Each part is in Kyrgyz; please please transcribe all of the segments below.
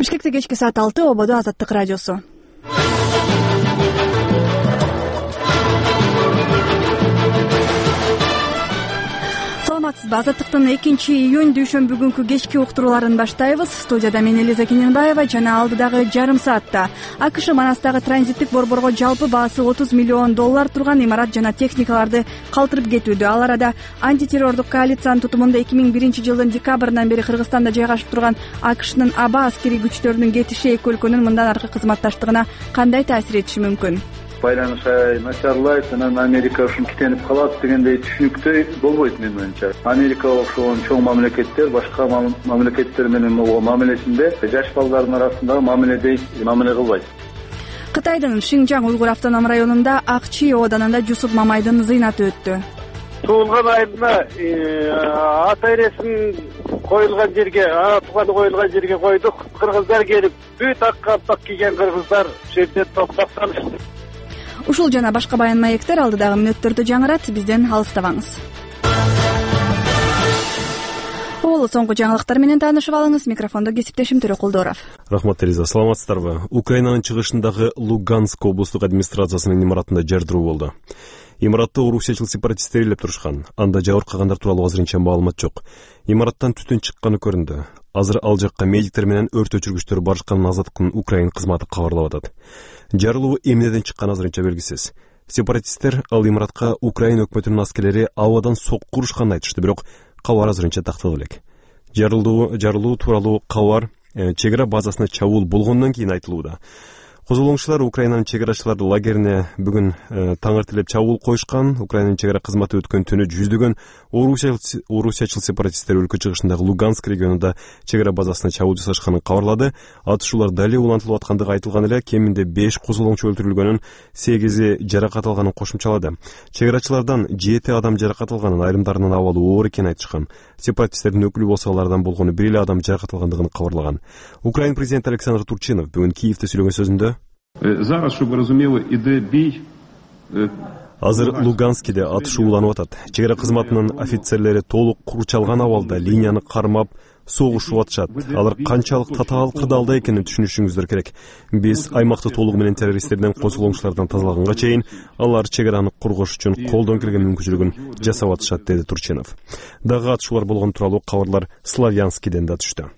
Бишкекте кечки саат 6, ободо Азаттык радиосу. Саламатсызбы? Азаттыктын 2-июнь дүйшөмбү күнкү кечки уктурууларын баштайбыз. Студияда мен Элиза Кененбаева жана алдыдагы жарым саатта АКШ Манастагы транзиттик борборго жалпы баасы $30 миллион турган имарат жана техникаларды калтырып кетүүдө. Ал арада антитеррордук коалициянын тутумунда 2001-жылдын декабрынан бери Кыргызстанда жайгашып турган АКШнын аба аскерий күчтөрүнүн кетиши эки өлкөнүн мындан аркы кызматташтыгына кандай таасир этиши мүмкүн? Байланыш начарлайт, анан Америка ушун китенип калат дегендей түшүнүктүү болбойт менин оюмча. Америка ошол чоң мамлекеттер башка мамлекеттер менен болгон мамилесинде жаш балдардын арасындагы мамиле кылбайт. Кытайдын Шинжаң уйгур автоном районунда Акчи ооданында Жусуп Мамайдын зыйнаты өттү. Туулган айында ата эресин коюлган жерге, тууганы коюлган жерге койдук. Кыргыздар келип, бүт ак калпак кийген кыргыздар ошол жерде топтошту. Ушул жана башка баян маектер алдыдагы мүнөттөрдө жаңырат, бизден алыстабаңыз. Ол соңку жаңылыктар менен таанышып алыңыз. Микрофондо кесиптешим Төрөкулдоров. Рахмат Элиза, саламатсыздарбы? Украинанын чыгышындагы Луганск облустук администрациясынын имаратында жардыруу болду. Имаратты орусиячыл сепаратисттер ээлеп турушкан. Анда жабыркагандар тууралуу азырынча маалымат жок. Имараттан түтүн чыкканы көрүндү. Азыр ал жакка медиктер менен өрт өчүргүчтөр барышканын Азаттыктын Украин кызматы кабарлап атат. Жарылуу эмнеден чыкканы азырынча белгисиз. Сепаратисттер ал имаратка Украин өкмөтүнүн аскерлери абадан сокку урушканын айтышты, бирок кабар азырынча такталып элек. Жарылуу тууралуу кабар чегара базасына чабуул болгондон кийин айтылууда. Козголоңчулар Украинанын чегарачылар лагерине бүгүн таң эртелеп чабуул коюшкан. Украинанын чегара кызматы өткөн түнү жүздөгөн орусиячыл сепаратисттер өлкө чыгышындагы Луганск регионунда чегара базасына чабуул жасашканын кабарлады. Атышуулар дали улантылып аткандыгы айтылган эле, кеминде 5 козголоңчу өлтүрүлгөнүн, 8 жаракат алганын кошумчалады. Чегарачылардан 7 адам жаракат алганын, айрымдарынын абалы оор экенин айтышкан. Сепаратисттердин өкүлү болсо алардан болгону 1 адам жаракат алгандыгын кабарлаган. Украин президенти Александр Турчинов бүгүн Киевде сүйлөгөн сөзүндө азыр Луганскиде атышууланып атат. Чегара кызматынын офицерлери толук курчалган абалда линияны кармап согушуп атышат. Алар канчалык татаал кырдаалда экенин түшүнүшүңүздөр керек. Биз аймакты толугу менен террористтерден, козголоңчулардан тазалаганга чейин алар чегараны коргош үчүн колдон келген мүмкүнчүлүгүн жасап атышат, деди Турчинов. Дагы атышуулар болгон тууралуу кабарлар Славянскиден да түштү.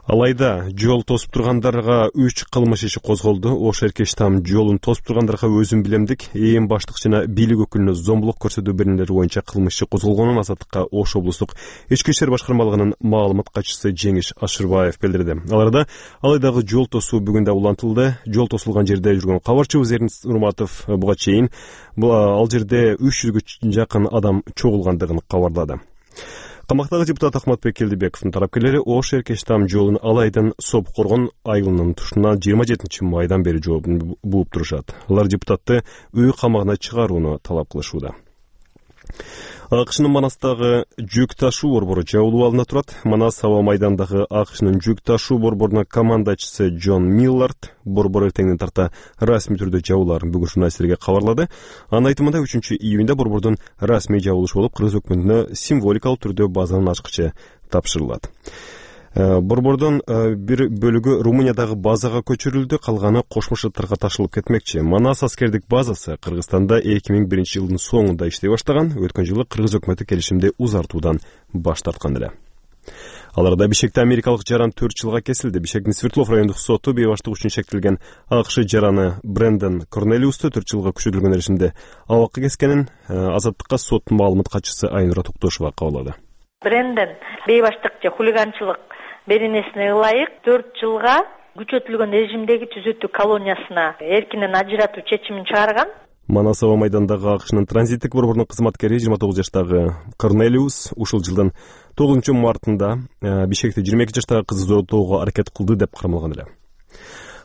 Алайда жол тосуп тургандарга 3 кылмыш иши козголду. Ош Эркештам жолун тосуп тургандарга өзүм билемдик, ээн баштык жана бийлик өкүлүнө зомбулук көрсөтүү беренелери боюнча кылмыш иши козголгонун Азаттыкка Ош облустук ички иштер башкармалыгынын маалымат катчысы Жеңиш Ашырбаев билдирди. Алайдагы жол тосуу бүгүн да улантылды. Жол тосулган жерде жүргөн кабарчыбыз Эрнис Нурматов буга чейин ал жерде 300гө жакын адам чогулгандыгын кабарлады. Камактагы депутат Ахматбек Келдибековдун тарапкерлери Ош Эркештам жолун Алайдын Соп-Коргон айылынын тушунан 27 майдан бери жообун бууп турушат. Алар депутатты үй камагына чыгарууну талап кылышууда. АКШнын Манастагы жүк ташуу борбору жабылуу алына турат. Манас аба майдандагы АКШнын жүк ташуу борборунун командачысы Джон Миллард борбор эртеңден тарта расмий түрдө жабыларын бүгүн журналисттерге кабарлады. Анын айтымында 3-июнда борбордун расмий жабылышы болуп, Кыргыз өкмөтүнө символикалык түрдө базанын ачкычы тапшырылат. Борбордун бир бөлүгү Румыниядагы базага көчүрүлдү, калганы Кошмо Шаттарга ташылып кетмекчи. Манас аскердик базасы Кыргызстанда 2001-жылдын соңунда иштей баштаган. Өткөн жылы Кыргыз өкмөтү келишимди узартуудан баш тарткан эле. Аларда Бишкекте америкалык жаран 4 жылга кесилди. Бишкектин Свердлов райондук соту бейбаштык үчүн шектелген АКШ жараны Брэндон Корнелиусту 4 жылга күчөтүлгөн решимде абакка кескенин Азаттыкка соттун маалымат катчысы Айнура Токтошова кабарлады. Брэндон бейбаштык же хулиганчылык беренесине ылайык 4 жылга күчөтүлгөн режимдеги түзөтүү колониясына эркинен ажыратуу чечимин чыгарган. Манас аба майдандагы АКШнын транзиттик борборунун кызматкери 29 жаштагы Корнелиус ушул жылдын 9 мартында Бишкекте 22 жаштагы кызды зооттоого аракет кылды деп кармалган эле.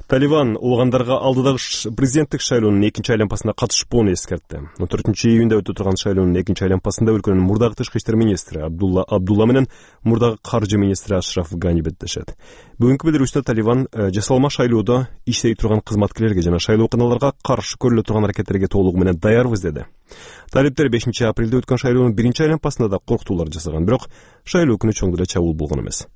Талибан улгандарга алдыдагы президенттик шайлоонун 2-нчи айланпасына катышпоону эскертти. 4-июнда өтө турган шайлоонун 2-нчи айланпасында өлкөнүн мурдагы тышкы иштер министри Абдулла менен мурдагы каржы министри Ашраф Гани беттешет. Бүгүнкү билдирүүсүндө Талибан жасалма шайлоодо иштей турган кызматкерлерге жана шайлоо кыналарга каршы көрүлө турган аракеттерге толугу менен даярбыз деди. Талиптер 5-апрелде өткөн шайлоонун 1-нчи айланпасында да коркутуулар жасаган, бирок шайлоо күнү чоң деле чабуул болгон эмес.